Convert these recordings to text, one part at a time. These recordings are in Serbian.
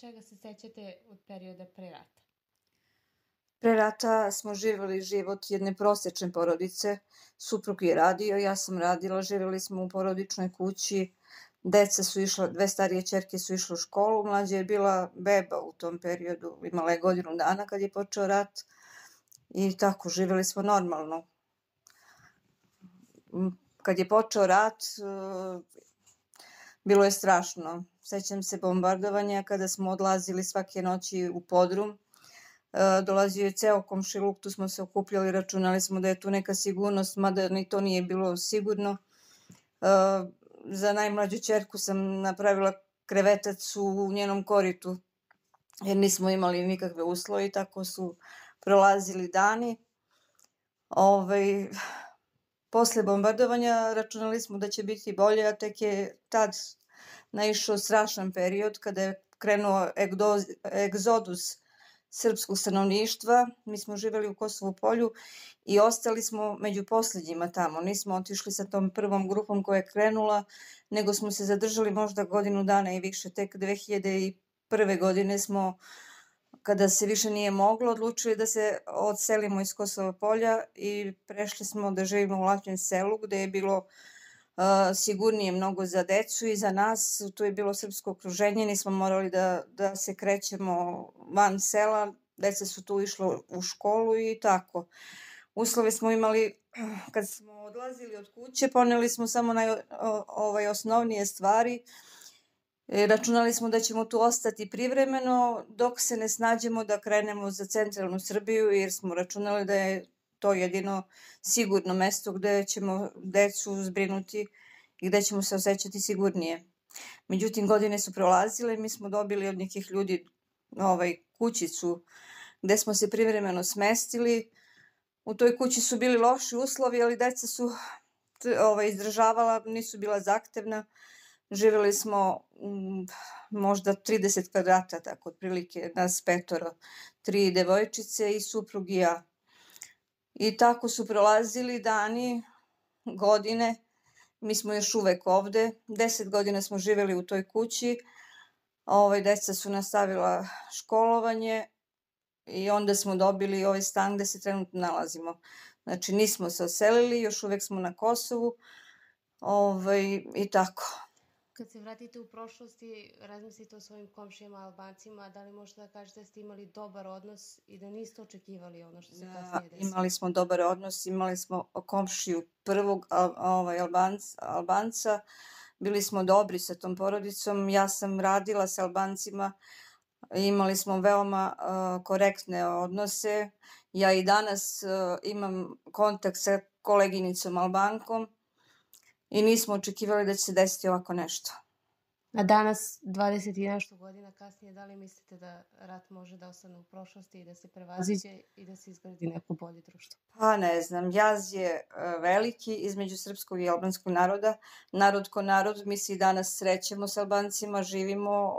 čega se sećate od perioda pre rata? Pre rata smo živjeli život jedne prosječne porodice. Suprug je radio, ja sam radila, živjeli smo u porodičnoj kući. Deca su išla, 2 starije ćerke su išle u školu, mlađa je bila beba u tom periodu, imala je godinu dana kad je počeo rat i tako, živjeli smo normalno. Kad je počeo rat, bilo je strašno. Sećam se bombardovanja kada smo odlazili svake noći u podrum. Dolazio je ceo komšiluk, tu smo se okupljali, računali smo da je tu neka sigurnost, mada ni to nije bilo sigurno. Za najmlađu ćerku sam napravila krevetac u njenom koritu, jer nismo imali nikakve uslove i tako su prolazili dani. Posle bombardovanja računali smo da će biti bolje, a tek je tad naišao strašan period kada je krenuo egzodus srpskog stanovništva. Mi smo živjeli u Kosovu Polju i ostali smo među poslednjima tamo. Nismo otišli sa tom prvom grupom koja je krenula, nego smo se zadržali možda godinu dana i više. Tek 2001. godine smo, kada se više nije moglo, odlučili da se odselimo iz Kosova Polja i prešli smo da živimo u Lapljem selu, gde je bilo sigurnije mnogo za decu i za nas. Tu je bilo srpsko okruženje, nismo morali da se krećemo van sela, deca su tu išla u školu i tako. Uslove smo imali, kad smo odlazili od kuće, poneli smo samo osnovnije stvari. Računali smo da ćemo tu ostati privremeno dok se ne snađemo da krenemo za centralnu Srbiju, jer smo računali da je to jedino sigurno mesto gde ćemo decu zbrinuti i gde ćemo se osjećati sigurnije. Međutim, godine su prolazile, mi smo dobili od nekih ljudi kućicu gde smo se privremeno smestili. U toj kući su bili loši uslovi, ali deca su izdržavala, nisu bila zahtevna. Živjeli smo možda 30 kvadrata, tako otprilike, nas 5, 3 devojčice i suprug i ja. I tako su prolazili dani, godine, mi smo još uvek ovde, 10 godina smo živjeli u toj kući, deca su nastavila školovanje i onda smo dobili ovaj stan gde se trenutno nalazimo. Znači nismo se oselili, još uvek smo na Kosovu i tako. Kad se vratite u prošlosti, razmislite o svojim komšijama Albancima, da li možete da kažete da ste imali dobar odnos i da niste očekivali ono što se kasnije desilo? Imali smo dobar odnos, imali smo komšiju prvog Albanca, bili smo dobri sa tom porodicom, ja sam radila sa Albancima, imali smo veoma korektne odnose. Ja i danas imam kontakt sa koleginicom Albankom i nismo očekivali da će se desiti ovako nešto. A danas, 20 i nešto godina kasnije, da li mislite da rat može da ostane u prošlosti i da se prevaziđe i da se izgradi neko bolje društvo? Pa ne znam, jaz je veliki između srpskog i albanskog naroda. Narod ko narod, mi se i danas srećemo s Albancima, živimo,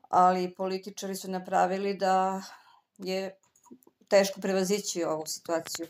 ali političari su napravili da je teško prevazići ovu situaciju.